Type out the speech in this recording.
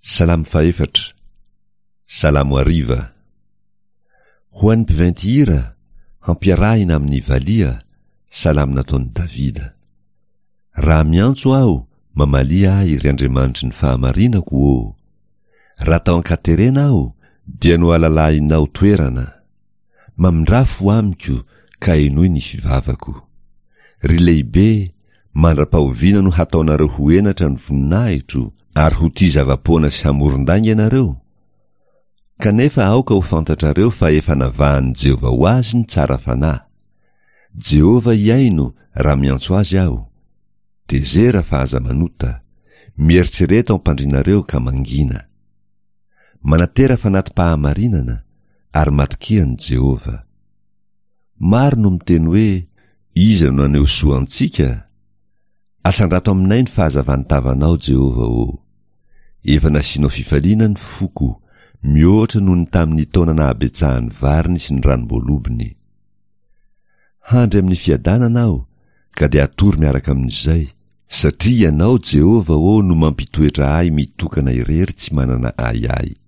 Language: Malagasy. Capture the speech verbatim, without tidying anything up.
Salamo fahefatra, Salamo hariva. Ho an'ny mpiventy hira, hampiarahina amin'ny valiha, Salamo nataon'i Davida. Raha miantso aho, mamalia ahy, ry Andriamanitry ny fahamarinako ô! Raha tao an-katerena aho, dia nohalalahinao toerana. Mamindrà fo amiko, ka henoy ny fivavako. Ry lehibe, mandra-pahoviana no hataonareo ho henatra ny voninahitro, ary ho tia zava-poana sy hamoron-dainga ianareo? Kanefa aoka ho fantatrareo fa efa navahan'i Jehovah ho azy ny tsara fanahy. Jehovah hihaino raha miantso azy aho. Tezera fa aza manota. Mieritrereta ao am-pandrianareo ka mangina. Manatera fanati-pahamarinana ary matokia an'i Jehovah. Maro no miteny hoe, Iza no naneho soa antsika? Asandrato aminay ny fahazavan'ny tavanao, Jehovah ô! Efa nasianao fifaliana ny foko, mihoatra noho ny tamin'ny taona nahabetsahan'ny variny sy ny ranom-boalobony. Handry amin'ny fiadanana aho, ka dia hatory miaraka amin'izay, satria Ianao, Jehovah ô, no mampitoetra ahy mitokana irery tsy manana ahiahy.